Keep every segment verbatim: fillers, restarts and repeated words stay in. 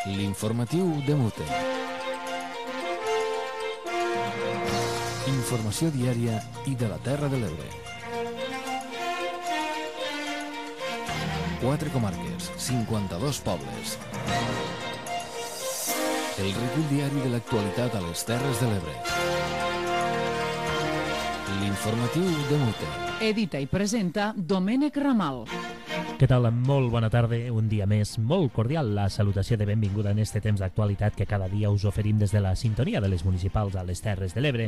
L'informatiu de Mute. Informació diària i de la Terra de l'Ebre. Quatre comarques, cinquanta-dos pobles. El recull diari de l'actualitat a les Terres de l'Ebre. L'informatiu de Mute. Edita i presenta Domènec Ramal. Què tal? Molt bona tarda, un dia més molt cordial. La salutació de benvinguda en este temps d'actualitat que cada dia us oferim des de la sintonia de les municipals a les Terres de l'Ebre.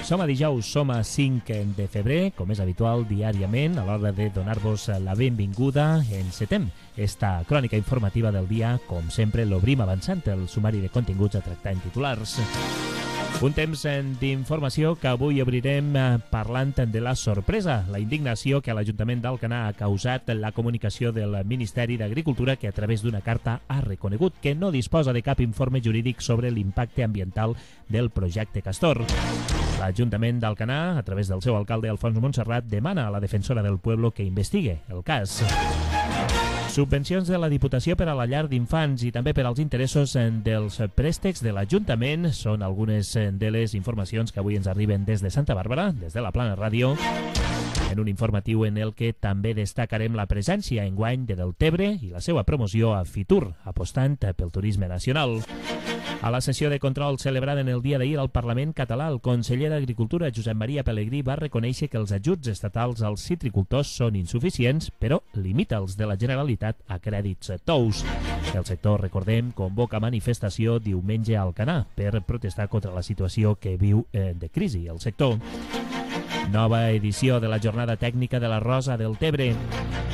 Som a dijous, som a cinc de febrer, com és habitual diàriament, a l'hora de donar-vos la benvinguda. Encetem esta crònica informativa del dia. Com sempre, l'obrim avançant el sumari de continguts a tractar en titulars. Un temps d'informació que avui obrirem parlant de la sorpresa, la indignació que a l'Ajuntament d'Alcanar ha causat la comunicació del Ministeri d'Agricultura, que a través d'una carta ha reconegut que no disposa de cap informe jurídic sobre l'impacte ambiental del projecte Castor. L'Ajuntament d'Alcanar, a través del seu alcalde Alfons Montserrat, demana a la defensora del pueblo que investigue el cas. Subvencions de la Diputació per a la llar d'infants i també per als interessos dels préstecs de l'Ajuntament són algunes de les informacions que avui ens arriben des de Santa Bàrbara, des de la Plana Ràdio, en un informatiu en el que també destacarem la presència enguany de Deltebre i la seva promoció a Fitur, apostant pel turisme nacional. A la sessió de control celebrada en el dia d'ahir al Parlament català, el conseller d'Agricultura, Josep Maria Pelegrí, va reconèixer que els ajuts estatals als citricultors són insuficients, però limita els de la Generalitat a crèdits tous. El sector, recordem, convoca manifestació diumenge a Alcanar per protestar contra la situació que viu eh, de crisi el sector. Nova edició de la jornada tècnica de la Rosa del Tebre.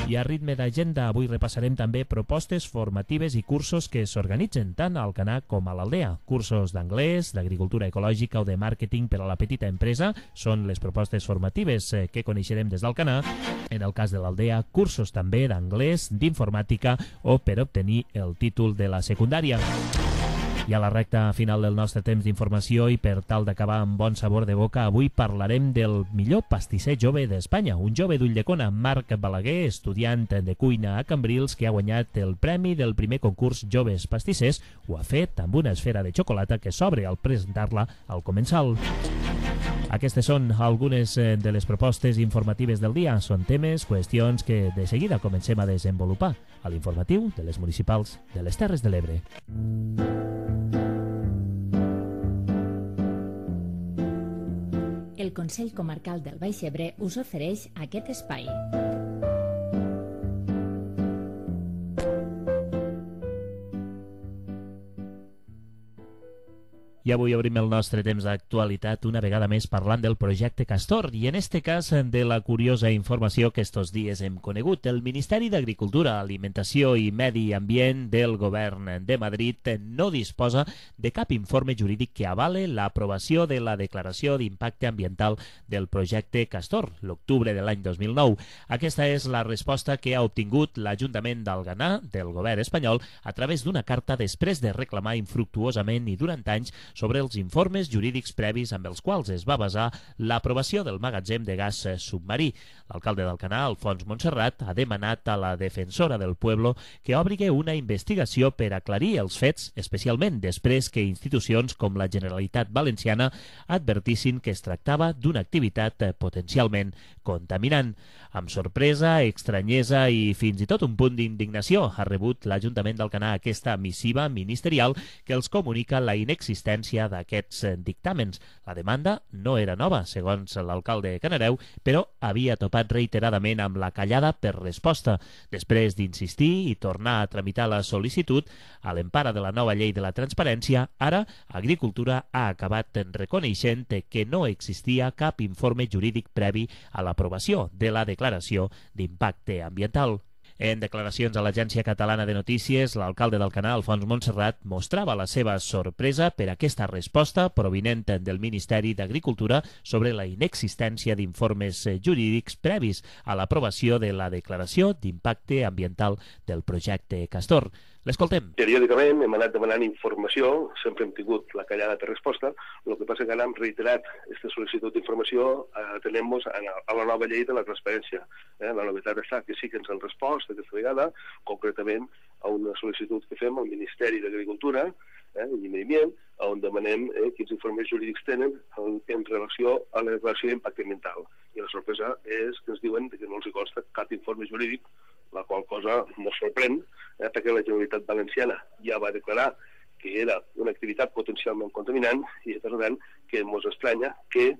I a ritme d'agenda avui repassarem també propostes formatives i cursos que s'organitzen tant a Alcanar com a l'Aldea. Cursos d'anglès, d'agricultura ecològica o de màrqueting per a la petita empresa són les propostes formatives que coneixerem des d'Alcanar. En el cas de l'Aldea, cursos també d'anglès, d'informàtica o per obtenir el títol de la secundària. I a la recta final del nostre temps d'informació i per tal d'acabar amb bon sabor de boca, avui parlarem del millor pastisser jove d'Espanya, un jove d'Ulldecona, Marc Balaguer, estudiant de cuina a Cambrils, que ha guanyat el premi del primer concurs Joves Pastissers. Ho ha fet amb una esfera de xocolata que s'obre al presentar-la al comensal. Aquestes són algunes de les propostes informatives del dia. Són temes, qüestions que de seguida comencem a desenvolupar a l'informatiu de les municipals de les Terres de l'Ebre. El Consell Comarcal del Baix Ebre us ofereix aquest espai. I avui obrim el nostre temps d'actualitat una vegada més parlant del projecte Castor i en este cas de la curiosa informació que estos dies hem conegut. El Ministeri d'Agricultura, Alimentació i Medi Ambient del Govern de Madrid no disposa de cap informe jurídic que avale l'aprovació de la declaració d'impacte ambiental del projecte Castor, l'octubre de l'any dos mil nou. Aquesta és la resposta que ha obtingut l'Ajuntament d'Alcanar del Govern espanyol a través d'una carta després de reclamar infructuosament i durant anys sobre els informes jurídics previs amb els quals es va basar l'aprovació del magatzem de gas submarí. L'alcalde d'Alcanar, Alfons Montserrat, ha demanat a la defensora del pueblo que obri una investigació per aclarir els fets, especialment després que institucions com la Generalitat Valenciana advertissin que es tractava d'una activitat potencialment contaminant. Amb sorpresa, estranyesa i fins i tot un punt d'indignació ha rebut l'Ajuntament d'Alcanar aquesta missiva ministerial que els comunica la inexistència d'aquests dictàmens. La demanda no era nova, segons l'alcalde Canareu, però havia topat reiteradament amb la callada per resposta. Després d'insistir i tornar a tramitar la sol·licitud, a l'empara de la nova llei de la transparència, ara Agricultura ha acabat reconeixent que no existia cap informe jurídic previ a l'aprovació de la declaració d'impacte ambiental. En declaracions a l'Agència Catalana de Notícies, l'alcalde d'Alcanar, Alfons Montserrat, mostrava la seva sorpresa per aquesta resposta provinent del Ministeri d'Agricultura sobre la inexistència d'informes jurídics previs a l'aprovació de la declaració d'impacte ambiental del projecte Castor. L'escoltem. Periòdicament hem anat demanant informació, sempre hem tingut la callada per resposta, el que passa que ara hem reiterat aquesta sol·licitud d'informació atenent-nos a la nova llei de la transparència. Eh? La novetat està que sí que ens han respost aquesta vegada, concretament a una sol·licitud que fem al Ministeri d'Agricultura eh, i Medi Ambient, on demanem eh, quins informes jurídics tenen en, en relació a la declaració d'impacte ambiental. I la sorpresa és que ens diuen que no els consta cap informe jurídic, la qual cosa ens sorprèn, eh, perquè la Generalitat Valenciana ja va declarar que era una activitat potencialment contaminant i, per tant, que ens estranya que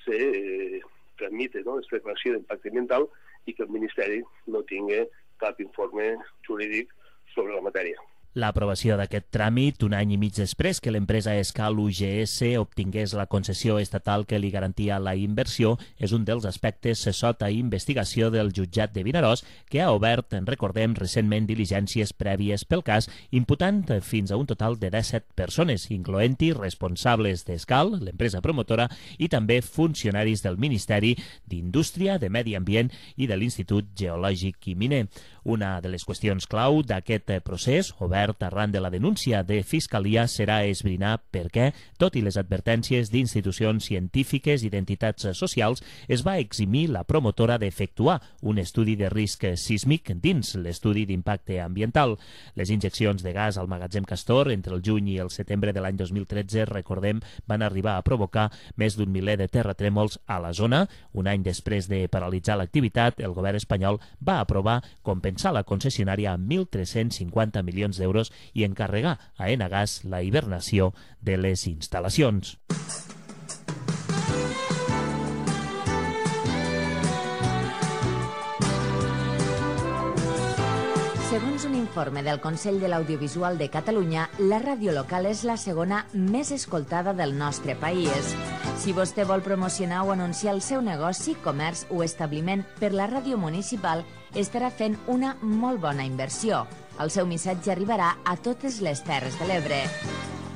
se eh, tramite no, aquesta declaració d'impacte ambiental i que el Ministeri no tingui cap informe jurídic sobre la matèria. L'aprovació d'aquest tràmit, un any i mig després que l'empresa Escal U G S obtingués la concessió estatal que li garantia la inversió, és un dels aspectes sota investigació del jutjat de Vinaròs, que ha obert, en recordem, recentment diligències prèvies pel cas, imputant fins a un total de disset persones, incloent-hi responsables d'Escal, l'empresa promotora, i també funcionaris del Ministeri d'Indústria, de Medi Ambient i de l'Institut Geològic i Miner. Una de les qüestions clau d'aquest procés, obert arran de la denúncia de Fiscalia, serà esbrinar per què, tot i les advertències d'institucions científiques i d'entitats socials, es va eximir la promotora d'efectuar un estudi de risc sísmic dins l'estudi d'impacte ambiental. Les injeccions de gas al magatzem Castor entre el juny i el setembre de l'any dos mil tretze, recordem, van arribar a provocar més d'un miler de terratrèmols a la zona. Un any després de paralitzar l'activitat, el govern espanyol va aprovar compensar la concessionària amb mil tres-cents cinquanta milions d'euros i encarregar a Enagas la hibernació de les instal·lacions. Segons un informe del Consell de l'Audiovisual de Catalunya, la ràdio local és la segona més escoltada del nostre país. Si vostè vol promocionar o anunciar el seu negoci, comerç o establiment per la ràdio municipal, estarà fent una molt bona inversió. El seu missatge arribarà a totes les Terres de l'Ebre.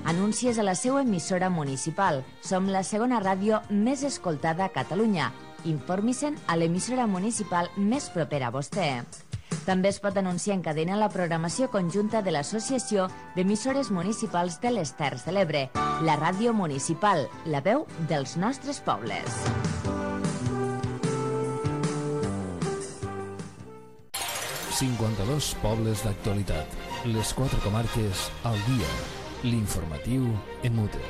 Anuncies a la seva emissora municipal. Som la segona ràdio més escoltada a Catalunya. Informi-se'n a l'emissora municipal més propera a vostè. També es pot anunciar en cadena la programació conjunta de l'Associació d'Emissores Municipals de les Terres de l'Ebre, la ràdio municipal, la veu dels nostres pobles. cinquanta-dos pobles d'actualitat. Les quatre comarques al dia. L'informatiu en Mute.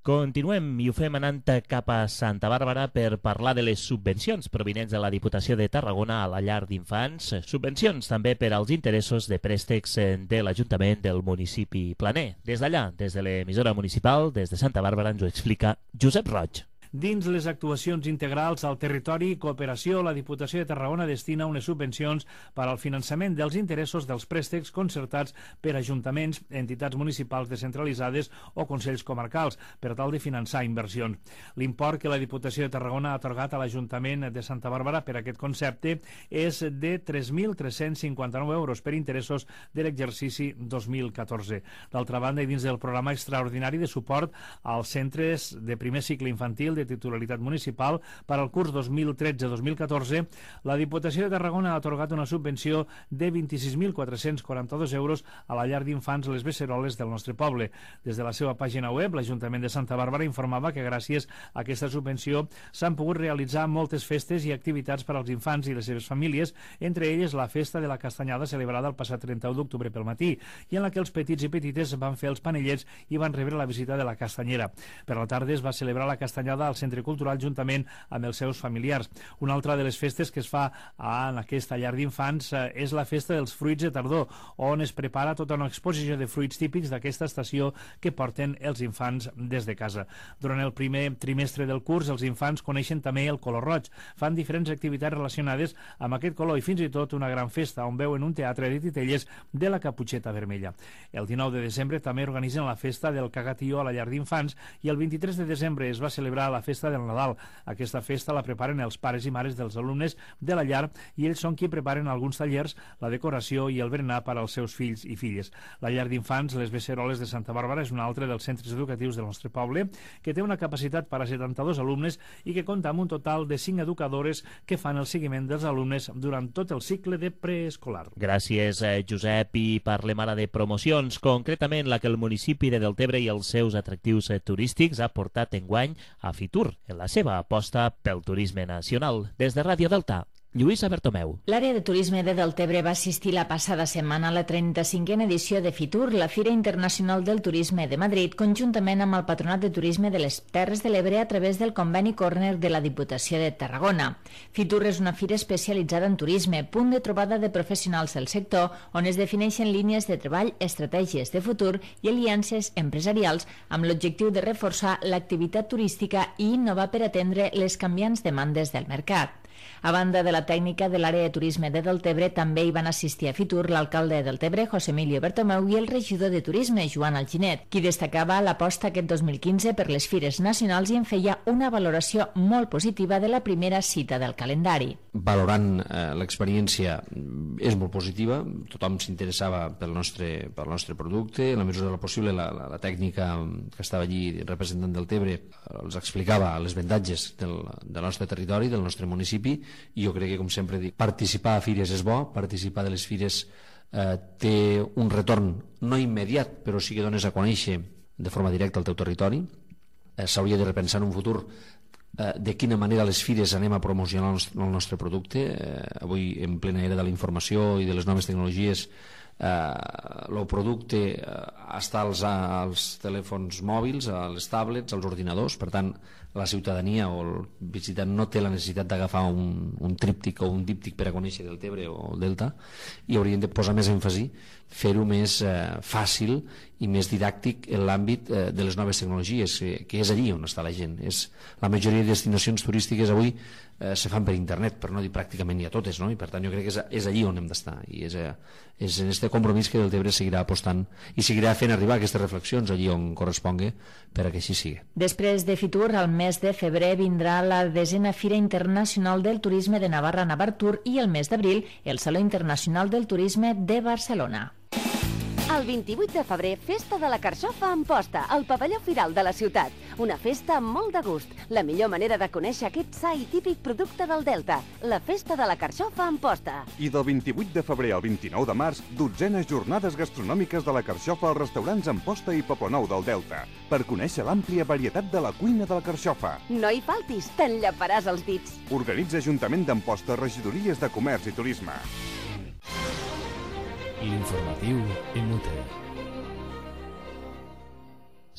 Continuem i ho fem anant cap a Santa Bàrbara per parlar de les subvencions provinents de la Diputació de Tarragona a la llar d'infants, subvencions també per als interessos de préstecs de l'Ajuntament del municipi planer. Des d'allà, des de l'emissora municipal, des de Santa Bàrbara, ens ho explica Josep Roig. Dins les actuacions integrals al territori i cooperació, la Diputació de Tarragona destina unes subvencions per al finançament dels interessos dels préstecs concertats per ajuntaments, entitats municipals descentralitzades o consells comarcals, per tal de finançar inversions. L'import que la Diputació de Tarragona ha atorgat a l'Ajuntament de Santa Bàrbara per aquest concepte és de tres mil tres-cents cinquanta-nou euros per interessos de l'exercici dos mil catorze. D'altra banda, i dins del programa extraordinari de suport als centres de primer cicle infantil de titularitat municipal per al curs dos mil tretze dos mil catorze, la Diputació de Tarragona ha atorgat una subvenció de vint-i-sis mil quatre-cents quaranta-dos euros a la llar d'infants Les Beceroles del nostre poble. Des de la seva pàgina web, l'Ajuntament de Santa Bàrbara informava que gràcies a aquesta subvenció s'han pogut realitzar moltes festes i activitats per als infants i les seves famílies, entre elles la festa de la castanyada celebrada el passat trenta-u d'octubre pel matí, i en la que els petits i petites van fer els panellets i van rebre la visita de la castanyera. Per la tarda es va celebrar la castanyada al Centre Cultural juntament amb els seus familiars. Una altra de les festes que es fa en aquesta llar d'infants és la festa dels fruits de tardor, on es prepara tota una exposició de fruits típics d'aquesta estació que porten els infants des de casa. Durant el primer trimestre del curs, els infants coneixen també el color roig, fan diferents activitats relacionades amb aquest color i fins i tot una gran festa on veuen un teatre de titelles de la Caputxeta Vermella. El dinou de desembre també organitzen la festa del cagatío a la llar d'infants i el vint-i-tres de desembre es va celebrar la festa del Nadal. Aquesta festa la preparen els pares i mares dels alumnes de la llar i ells són qui preparen alguns tallers, la decoració i el berenar per als seus fills i filles. La llar d'infants Les Beceroles de Santa Bàrbara és un altre dels centres educatius del nostre poble que té una capacitat per a setanta-dos alumnes i que compta amb un total de cinc educadores que fan el seguiment dels alumnes durant tot el cicle de preescolar. Gràcies, Josep. I parlem ara de promocions, concretament la que el municipi de Deltebre i els seus atractius turístics ha portat enguany a Fitur Fitur en la seva aposta pel turisme nacional. Des de Ràdio Delta, Lluïsa Bertomeu. L'àrea de turisme de Deltebre va assistir la passada setmana a la trenta-cinquena edició de Fitur, la Fira Internacional del Turisme de Madrid, conjuntament amb el Patronat de Turisme de les Terres de l'Ebre a través del conveni Corner de la Diputació de Tarragona. Fitur és una fira especialitzada en turisme, punt de trobada de professionals del sector, on es defineixen línies de treball, estratègies de futur i aliances empresarials amb l'objectiu de reforçar l'activitat turística i innovar per atendre les canviants demandes del mercat. A banda de la tècnica de l'àrea de turisme de Deltebre, també hi van assistir a Fitur l'alcalde de Deltebre, José Emilio Bertomeu, i el regidor de turisme, Joan Alginet, qui destacava l'aposta aquest dos mil quinze per les fires nacionals i en feia una valoració molt positiva de la primera cita del calendari. Valorant eh, l'experiència és molt positiva, tothom s'interessava pel nostre, pel nostre producte, en la mesura del possible la, la, la tècnica que estava allí representant Deltebre els explicava els avantatges del, del nostre territori, del nostre municipi, i jo crec que, com sempre dic, participar a fires és bo, participar de les fires eh, té un retorn no immediat, però sí que dones a conèixer de forma directa el teu territori. Eh, s'hauria de repensar en un futur eh, de quina manera les fires anem a promocionar el nostre, el nostre producte. Eh, avui, en plena era de la informació i de les noves tecnologies, el eh, producte eh, està als, als telèfons mòbils, a les tablets, als ordinadors. Per tant, la ciutadania o el visitant no té la necessitat d'agafar un, un tríptic o un díptic per a conèixer Deltebre o el Delta, i haurien de posar més èmfasi, fer-ho més eh, fàcil i més didàctic en l'àmbit eh, de les noves tecnologies, eh, que és allí on està la gent. És, la majoria de destinacions turístiques avui eh, se fan per internet, per no dir pràcticament ni a totes, no? I per tant jo crec que és, és allí on hem d'estar, i és, eh, és en aquest compromís que Deltebre seguirà apostant i seguirà fent arribar aquestes reflexions allí on correspongui per a que així sigui. Després de Fitur, al mes de febrer vindrà la desena Fira Internacional del Turisme de Navarra Navartur i el mes d'abril el Saló Internacional del Turisme de Barcelona. El vint-i-vuit de febrer, Festa de la Carxofa a Amposta, al pavelló Firal de la ciutat. Una festa amb molt de gust. La millor manera de conèixer aquest sa i típic producte del Delta. La Festa de la Carxofa a Amposta. I del vint-i-vuit de febrer al vint-i-nou de març, dotzenes jornades gastronòmiques de la Carxofa als restaurants Amposta i Poblenou del Delta, per conèixer l'àmplia varietat de la cuina de la Carxofa. No hi faltis, t'enllaparàs els dits. Organitza Ajuntament d'Amposta, Regidories de Comerç i Turisme. L'informatiu Inútil.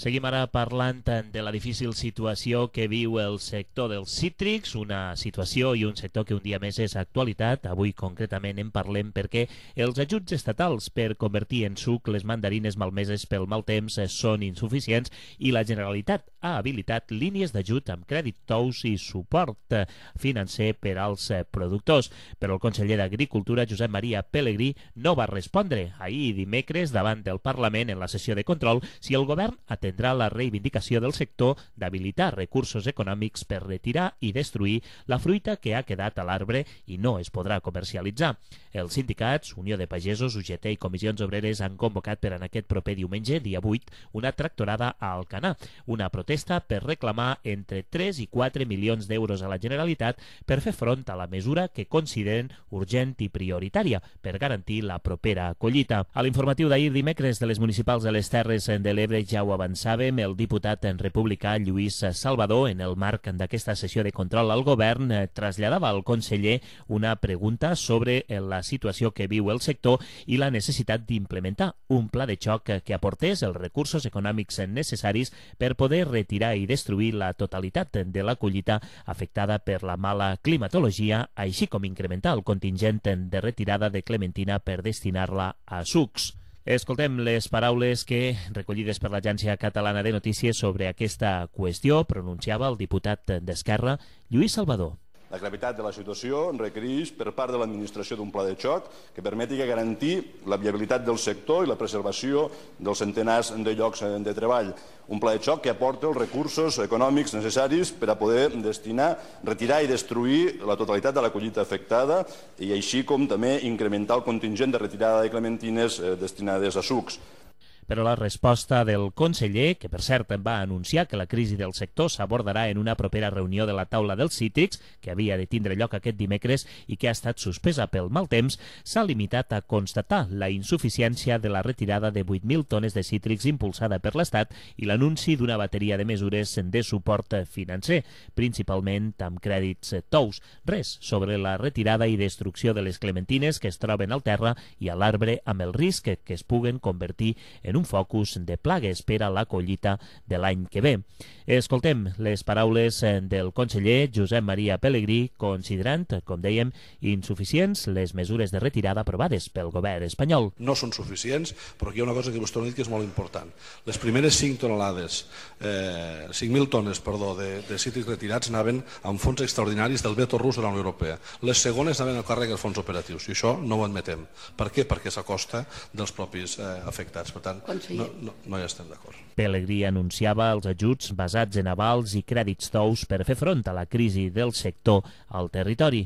Seguim ara parlant de la difícil situació que viu el sector dels cítrics, una situació i un sector que un dia més és actualitat. Avui concretament en parlem perquè els ajuts estatals per convertir en suc les mandarines malmeses pel mal temps són insuficients i la Generalitat ha habilitat línies d'ajut amb crèdit tous i suport financer per als productors. Però el conseller d'Agricultura, Josep Maria Pelegrí, no va respondre ahir dimecres davant del Parlament en la sessió de control si el govern atendrà la reivindicació del sector d'habilitar recursos econòmics per retirar i destruir la fruita que ha quedat a l'arbre i no es podrà comercialitzar. Els sindicats, Unió de Pagesos, U G T i Comissions Obreres han convocat per en aquest proper diumenge, dia vuit, una tractorada a Alcanar, una protesta per reclamar entre tres i quatre milions d'euros a la Generalitat per fer front a la mesura que consideren urgent i prioritària per garantir la propera collita. A l'informatiu d'ahir dimecres de les municipals de les Terres de l'Ebre ja ho avançàvem, el diputat en republicà Lluís Salvador, en el marc d'aquesta sessió de control al govern, traslladava al conseller una pregunta sobre la situació que viu el sector i la necessitat d'implementar un pla de xoc que aportés els recursos econòmics necessaris per poder retirar i destruir la totalitat de la collita afectada per la mala climatologia, així com incrementar el contingent de retirada de clementina per destinar-la a sucs. Escoltem les paraules que, recollides per l'Agència Catalana de Notícies sobre aquesta qüestió, pronunciava el diputat d'Esquerra, Lluís Salvador. La gravetat de la situació requereix per part de l'administració d'un pla de xoc que permeti garantir la viabilitat del sector i la preservació dels centenars de llocs de treball. Un pla de xoc que aporta els recursos econòmics necessaris per a poder destinar, retirar i destruir la totalitat de la collita afectada i així com també incrementar el contingent de retirada de clementines destinades a sucs. però la resposta del conseller, que per cert va anunciar que la crisi del sector s'abordarà en una propera reunió de la taula dels cítrics, que havia de tindre lloc aquest dimecres i que ha estat suspesa pel mal temps, s'ha limitat a constatar la insuficiència de la retirada de vuit mil tones de cítrics impulsada per l'Estat i l'anunci d'una bateria de mesures de suport financer, principalment amb crèdits tous. Res sobre la retirada i destrucció de les clementines que es troben al terra i a l'arbre amb el risc que es puguen convertir en un focus de plagues per a la collita de l'any que ve. Escoltem les paraules del conseller Josep Maria Pelegrí, considerant, com dèiem, insuficients les mesures de retirada aprovades pel govern espanyol. No són suficients, però aquí hi ha una cosa que vostè ha dit que és molt important. Les primeres cinc tonelades, eh, cinc mil tones, perdó, de, de cítrics retirats anaven amb fons extraordinaris del veto rus de la Unió Europea. Les segones anaven a càrrec dels fons operatius, i això no ho admetem. Per què? Perquè és a costa dels propis eh, afectats. Per tant, no, no, no hi estem d'acord. Pelegrí anunciava els ajuts basats en avals i crèdits tous per fer front a la crisi del sector al territori.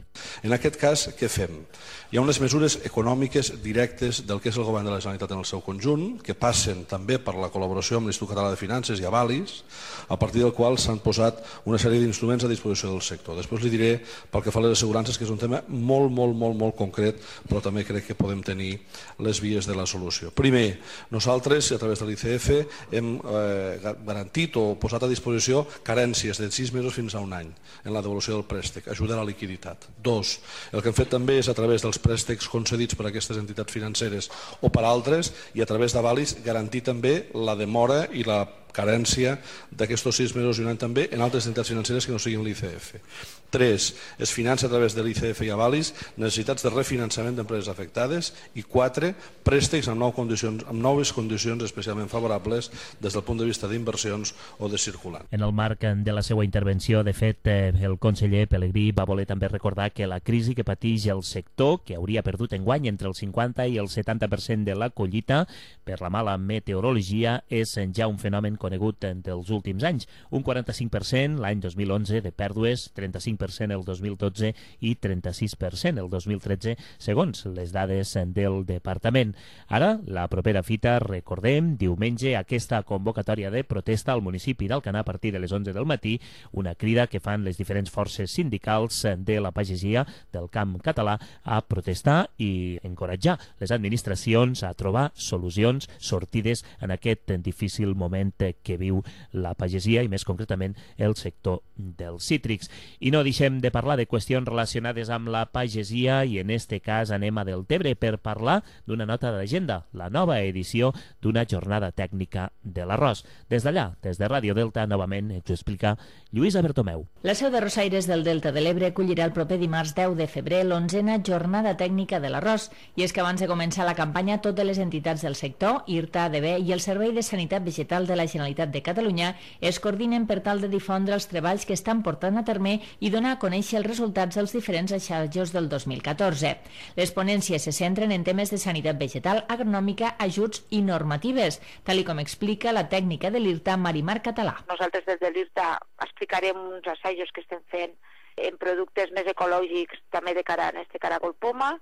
En aquest cas, què fem? Hi ha unes mesures econòmiques directes del que és el govern de la Generalitat en el seu conjunt, que passen també per la col·laboració amb l'Institut Català de Finances i Avalis, a partir del qual s'han posat una sèrie d'instruments a disposició del sector. Després li diré, pel que fa a les assegurances, que és un tema molt, molt, molt, molt concret, però també crec que podem tenir les vies de la solució. Primer, nosaltres, a través de l'I C F, hem eh, garantit o posat a disposició carències de sis mesos fins a un any en la devolució del préstec, ajuda a la liquiditat. Dos, el que hem fet també és a través dels préstecs concedits per a aquestes entitats financeres o per altres i a través d'avalis garantir també la demora i la carència d'aquests sis mesos i un any també en altres entitats financeres que no siguin l'I C F. Tres, es finança a través de l'I C F i Avalis necessitats de refinançament d'empreses afectades i quatre, préstecs amb, nou condicions, amb noves condicions especialment favorables des del punt de vista d'inversions o de circulant. En el marc de la seva intervenció, de fet, el conseller Pelegrí va voler també recordar que la crisi que pateix el sector, que hauria perdut enguany entre el cinquanta i el setanta per cent de la collita per la mala meteorologia, és ja un fenomen conegut dels últims anys. Un quaranta-cinc per cent l'any dos mil onze de pèrdues, trenta-cinc per cent el dos mil dotze i trenta-sis per cent el dos mil tretze, segons les dades del departament. Ara, la propera fita, recordem, diumenge, aquesta convocatòria de protesta al municipi d'Alcanar a partir de les onze del matí, una crida que fan les diferents forces sindicals de la pagesia del camp català a protestar i encoratjar les administracions a trobar solucions, sortides en aquest difícil moment que viu la pagesia i més concretament el sector dels cítrics. I no deixem de parlar de qüestions relacionades amb la pagesia i en este cas anem a Deltebre per parlar d'una nota d'agenda, la nova edició d'una jornada tècnica de l'arròs. Des d'allà, des de Ràdio Delta, novament ens ho explica Lluïsa Bertomeu. La seu de Rosaires del Delta de l'Ebre acollirà el proper dimarts deu de febrer l'onzena jornada tècnica de l'arròs. I és que abans de començar la campanya, totes les entitats del sector, IRTA, A D B i el Servei de Sanitat Vegetal de la Generalitat de Catalunya es coordinen per tal de difondre els treballs que estan portant a terme i donar a conèixer els resultats dels diferents assajos del dos mil catorze. Les ponències se centren en temes de sanitat vegetal, agronòmica, ajuts i normatives, tal i com explica la tècnica de l'IRTA, Marimar Català. Nosaltres des de l'IRTA explicarem uns assajos que estem fent en productes més ecològics, també de cara a este caragol poma.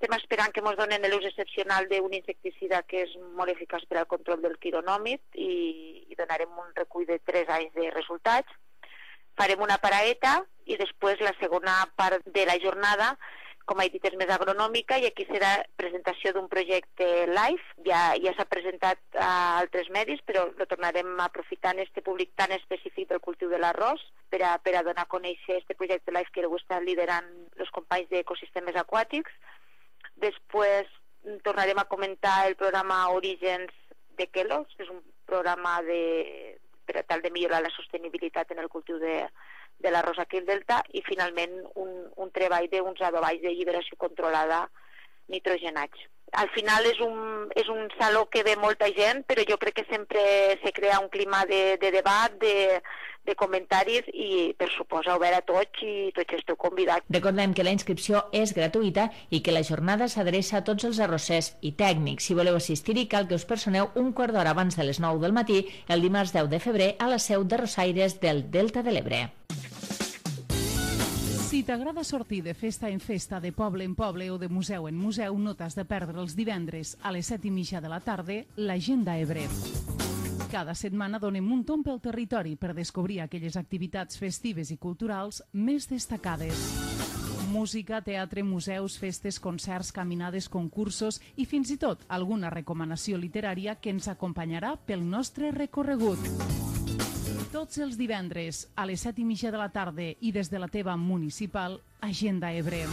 Estem esperant que ens donen l'ús excepcional d'un insecticida que és molt eficaç per al control del quironòmid i, i donarem un recull de tres anys de resultats. Farem una paraeta i després la segona part de la jornada, com he dit, és més agronòmica i aquí serà presentació d'un projecte live. Ja, ja s'ha presentat a altres medis, però lo tornarem a aprofitar en este públic tan específic del cultiu de l'arròs per a, per a donar a conèixer este projecte live que ho estan liderant els companys d'ecosistemes aquàtics. Després tornarem a comentar el programa Orígens de Kellogg's, que és un programa de, per a tal de millorar la sostenibilitat en el cultiu de, de l'arròs aquí al Delta i finalment un, un treball d'uns adoballs de lliberació controlada nitrogenats. Al final és un, és un saló que ve molta gent, però jo crec que sempre se crea un clima de, de debat, de, de comentaris i, per suposar, obert a tots i tots esteu convidats. Recordem que la inscripció és gratuïta i que la jornada s'adreça a tots els arrossers i tècnics. Si voleu assistir-hi, cal que us personeu un quart d'hora abans de les nou del matí, el dimarts deu de febrer, a la seu de Rosaires del Delta de l'Ebre. Si t'agrada sortir de festa en festa, de poble en poble o de museu en museu, no t'has de perdre els divendres a les set i mitja de la tarda l'Agenda Ebre. Cada setmana donem un tomb pel territori per descobrir aquelles activitats festives i culturals més destacades. Música, teatre, museus, festes, concerts, caminades, concursos i fins i tot alguna recomanació literària que ens acompanyarà pel nostre recorregut. Tots els divendres a les set i mitja de la tarda i des de la teva municipal, Agenda Ebre.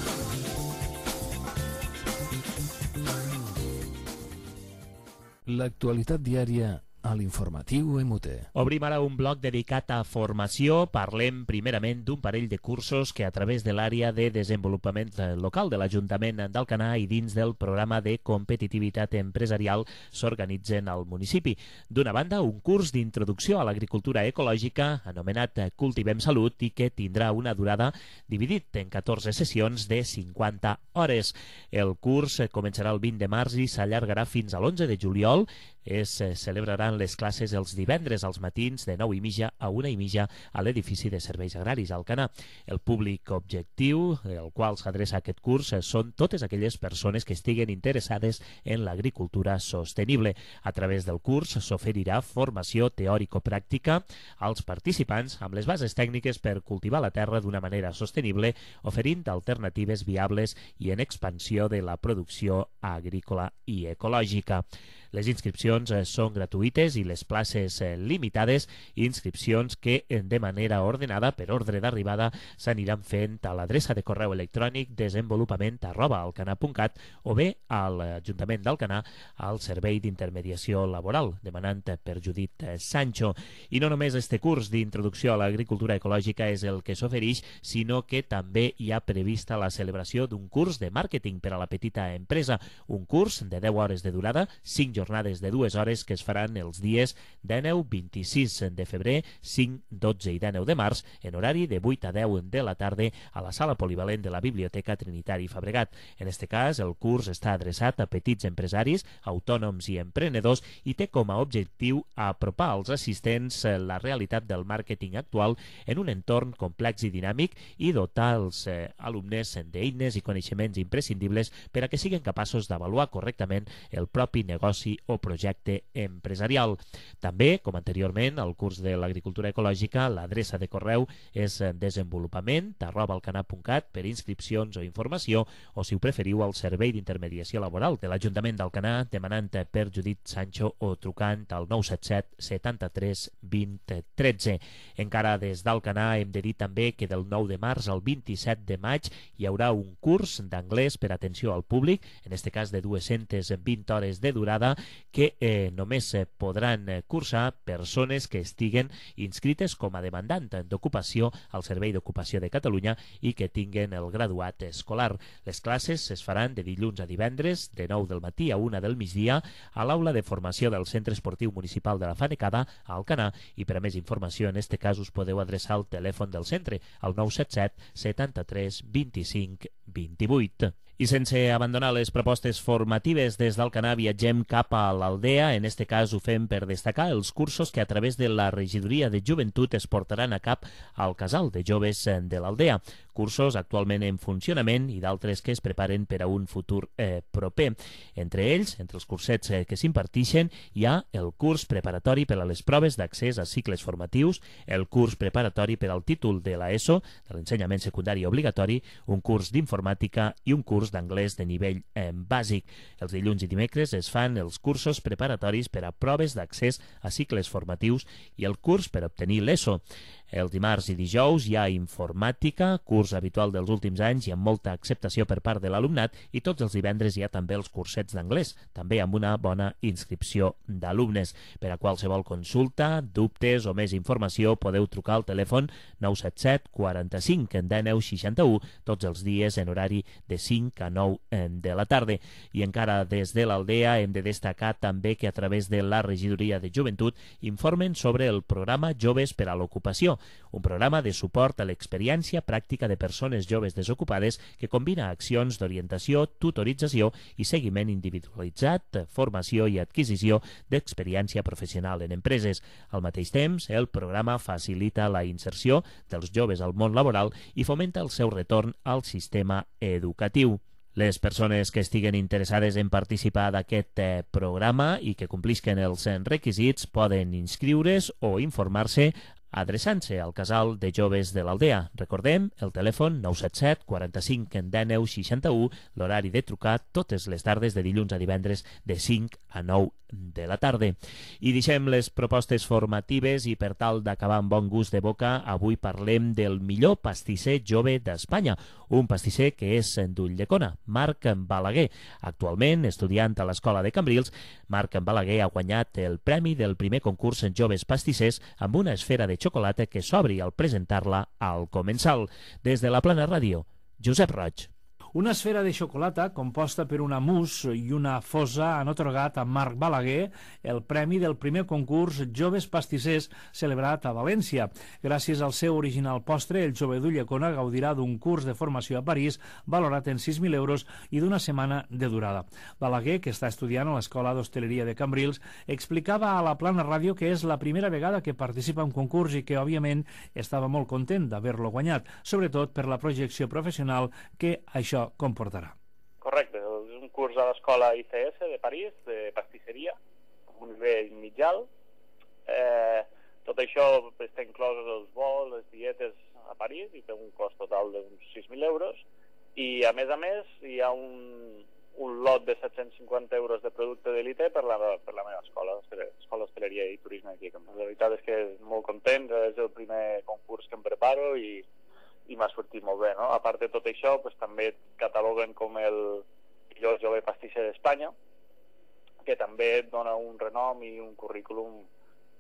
L'actualitat diària a l'informatiu M U T. Obrim ara un bloc dedicat a formació. Parlem primerament d'un parell de cursos que a través de l'àrea de desenvolupament local de l'Ajuntament d'Alcanar i dins del programa de competitivitat empresarial s'organitzen al municipi. D'una banda, un curs d'introducció a l'agricultura ecològica anomenat Cultivem Salut i que tindrà una durada dividit en catorze sessions de cinquanta hores. El curs començarà el vint de març i s'allargarà fins a l'onze de juliol. Es celebraran les classes els divendres als matins de nou i mitja a una i mitja a l'edifici de serveis agraris a Alcanar. El públic objectiu al qual s'adreça aquest curs són totes aquelles persones que estiguen interessades en l'agricultura sostenible. A través del curs s'oferirà formació teòrico-pràctica als participants amb les bases tècniques per cultivar la terra d'una manera sostenible, oferint alternatives viables i en expansió de la producció agrícola i ecològica. Les inscripcions són gratuïtes i les places limitades, inscripcions que de manera ordenada per ordre d'arribada s'aniran fent a l'adreça de correu electrònic desenvolupament arroba alcanar punt cat o bé a l'Ajuntament d'Alcanar al Servei d'Intermediació Laboral, demanant per Judit Sancho. I no només este curs d'introducció a l'agricultura ecològica és el que s'ofereix, sinó que també hi ha prevista la celebració d'un curs de màrqueting per a la petita empresa, un curs de deu hores de durada, cinc jornades de dues hores que es faran els dies dinou, vint-i-sis de febrer, cinc, dotze i dinou de març, en horari de vuit a deu de la tarda a la sala polivalent de la Biblioteca Trinitari Fabregat. En este cas, el curs està adreçat a petits empresaris, autònoms i emprenedors i té com a objectiu apropar als assistents la realitat del màrqueting actual en un entorn complex i dinàmic i dotar els eh, alumnes d'eines i coneixements imprescindibles per a que siguin capaços d'avaluar correctament el propi negoci o projecte empresarial. També, com anteriorment, al curs de l'agricultura ecològica, l'adreça de correu és desenvolupament arroba alcanar punt cat per inscripcions o informació, o si ho preferiu al Servei d'Intermediació Laboral de l'Ajuntament d'Alcanar demanant per Judit Sancho o trucant al nou set set, setanta-tres, vint, tretze. Encara des d'Alcanar hem de dir també que del nou de març al vint-i-set de maig hi haurà un curs d'anglès per atenció al públic, en este cas de dues-centes vint hores de durada, que eh, només eh, podran eh, cursar persones que estiguen inscrites com a demandant d'ocupació al Servei d'Ocupació de Catalunya i que tinguen el graduat escolar. Les classes es faran de dilluns a divendres, de nou del matí a una del migdia, a l'aula de formació del Centre Esportiu Municipal de la Fanecada, a Alcanar, i per a més informació en este cas us podeu adreçar al telèfon del centre, al nou set set, setanta-tres, vint-i-cinc, vint-i-vuit. I sense abandonar les propostes formatives des d'Alcanar viatgem cap a l'Aldea. En este cas ho fem per destacar els cursos que a través de la Regidoria de Joventut es portaran a cap al Casal de Joves de l'Aldea. Cursos actualment en funcionament i d'altres que es preparen per a un futur eh, proper. Entre ells, entre els cursets eh, que s'impartixen, hi ha el curs preparatori per a les proves d'accés a cicles formatius, el curs preparatori per al títol de l'ESO, de l'ensenyament secundari obligatori, un curs d'informàtica i un curs d'anglès de nivell eh, bàsic. Els dilluns i dimecres es fan els cursos preparatoris per a proves d'accés a cicles formatius i el curs per obtenir l'ESO. El dimarts i dijous hi ha informàtica, curs habitual dels últims anys i amb molta acceptació per part de l'alumnat, i tots els divendres hi ha també els cursets d'anglès, també amb una bona inscripció d'alumnes. Per a qualsevol consulta, dubtes o més informació podeu trucar al telèfon nou set set, quaranta-cinc, dinou, seixanta-u, tots els dies en horari de cinc a nou de la tarda. I encara des de l'Aldea hem de destacar també que a través de la Regidoria de Joventut informen sobre el programa Joves per a l'Ocupació, un programa de suport a l'experiència pràctica de persones joves desocupades que combina accions d'orientació, tutorització i seguiment individualitzat, formació i adquisició d'experiència professional en empreses. Al mateix temps, el programa facilita la inserció dels joves al món laboral i fomenta el seu retorn al sistema educatiu. Les persones que estiguen interessades en participar d'aquest eh, programa i que complisquen els requisits poden inscriure's o informar-se adreçant-se al Casal de Joves de l'Aldea. Recordem el telèfon nou set set quaranta-cinc dinou seixanta-u, l'horari de trucar totes les tardes de dilluns a divendres de cinc a nou de la tarda. I deixem les propostes formatives i per tal d'acabar amb bon gust de boca, avui parlem del millor pastisser jove d'Espanya, un pastisser que és d'Ulldecona, Marc Balaguer. Actualment, estudiant a l'Escola de Cambrils, Marc Balaguer ha guanyat el premi del primer concurs en joves pastissers amb una esfera de xocolata que s'obri al presentar-la al comensal. Des de la Plana Ràdio, Josep Roig. Una esfera de xocolata composta per una mousse i una fosa han atorgat a Marc Balaguer el premi del primer concurs Joves Pastissers celebrat a València. Gràcies al seu original postre, el jove d'Ulldecona gaudirà d'un curs de formació a París valorat en sis mil euros i d'una setmana de durada. Balaguer, que està estudiant a l'Escola d'Hostaleria de Cambrils, explicava a la Plana Ràdio que és la primera vegada que participa en un concurs i que, òbviament, estava molt content d'haver-lo guanyat, sobretot per la projecció professional que això comportarà. Correcte, és un curs a l'escola I C S de París, de pastisseria, amb un nivell mitjal. Eh, tot això està inclòs els vols, les dietes a París, i té un cost total d'uns sis mil euros. I, a més a més, hi ha un, un lot de set-cents cinquanta euros de producte d'elite per, la, per la meva escola, Escola d'Hostaleria i Turisme aquí. La veritat és que és molt content, és el primer concurs que em preparo i i m'ha sortit molt bé, no? A part de tot això, pues, també cataloguen com el millor jove pastisser d'Espanya, que també et dona un renom i un currículum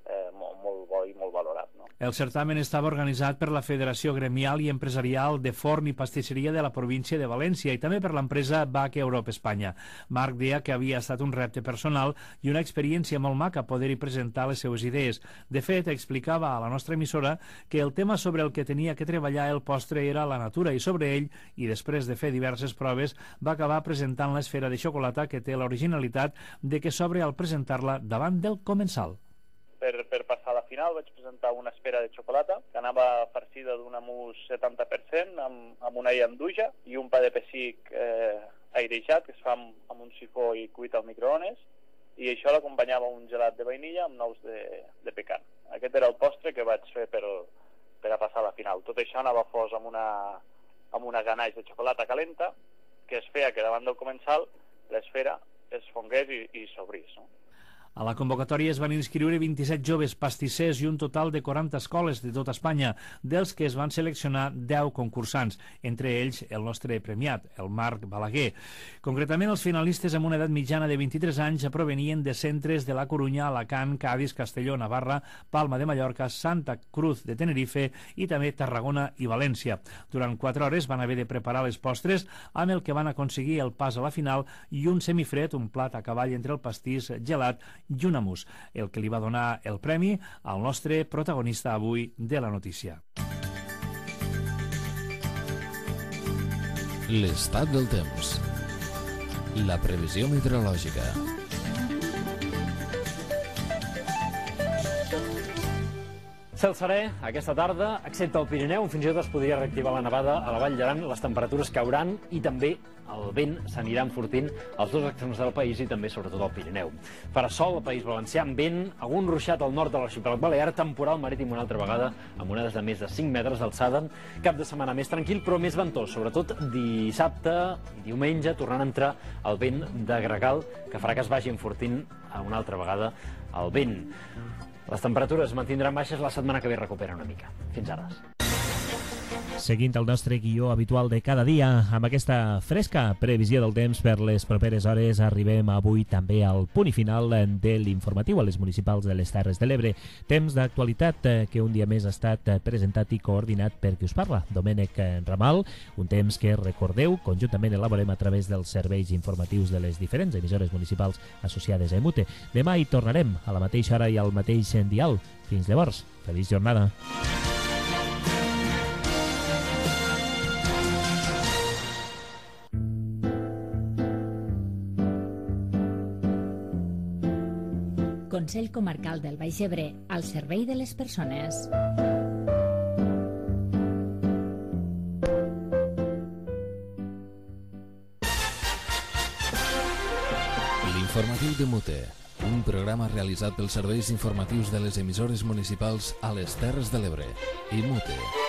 eh, molt, molt bo i molt valorat, no? El certamen estava organitzat per la Federació Gremial i Empresarial de Forn i Pastisseria de la província de València i també per l'empresa B A C Europe Espanya. Marc deia que havia estat un repte personal i una experiència molt maca poder-hi presentar les seues idees. De fet, explicava a la nostra emissora que el tema sobre el que tenia que treballar el postre era la natura i sobre ell, i després de fer diverses proves, va acabar presentant l'esfera de xocolata que té l'originalitat de que s'obre al presentar-la davant del comensal. Per, per passar a la final vaig presentar una esfera de xocolata que anava farcida d'una mousse setanta per cent amb, amb una llanduja i un pa de pessic eh, airejat que es fa amb, amb un sifó i cuit al microones, i això l'acompanyava un gelat de vainilla amb nous de, de pecan. Aquest era el postre que vaig fer per, per a passar a la final. Tot això anava fos amb una, amb una ganaix de xocolata calenta que es feia que davant del comensal l'esfera es fongués i, i s'obrís, no? A la convocatòria es van inscriure vint-i-set joves pastissers i un total de quaranta escoles de tota Espanya, dels que es van seleccionar deu concursants, entre ells el nostre premiat, el Marc Balaguer. Concretament, els finalistes amb una edat mitjana de vint-i-tres anys provenien de centres de la Corunya, Alacant, Cádiz, Castelló, Navarra, Palma de Mallorca, Santa Cruz de Tenerife i també Tarragona i València. Durant quatre hores van haver de preparar les postres, amb el que van aconseguir el pas a la final i un semifred, un plat a cavall entre el pastís gelat i una mousse, el que li va donar el premi al nostre protagonista avui de la notícia. L'estat del temps. La previsió meteorològica. Cel serè aquesta tarda, excepte el Pirineu, fins i tot es podria reactivar la nevada a la Vall d'Aran, les temperatures cauran i també el vent s'anirà enfortint als dos extrems del país i també sobretot al Pirineu. Farà sol al País Valencià amb vent, algun ruixat al nord de l'arxipèlag balear, temporal marítim una altra vegada amb onades de més de cinc metres d'alçada, cap de setmana més tranquil però més ventós, sobretot dissabte i diumenge, tornant a entrar el vent de gregal que farà que es vagi enfortint una altra vegada el vent. Les temperatures mantindran baixes, la setmana que ve recupera una mica. Fins ara. Seguint el nostre guió habitual de cada dia, amb aquesta fresca previsió del temps per les properes hores, arribem avui també al punt i final de l'informatiu a les municipals de les Terres de l'Ebre. Temps d'actualitat que un dia més ha estat presentat i coordinat per qui us parla, Domènec Ramal, un temps que, recordeu, conjuntament elaborem a través dels serveis informatius de les diferents emissores municipals associades a EMUTE. Demà hi tornarem a la mateixa hora i al mateix dial. Fins llavors, feliç jornada. Consell Comarcal del Baix Ebre, al servei de les persones. L'informatiu de Mute, un programa realitzat pels serveis informatius de les emissores municipals a les Terres de l'Ebre i Mute.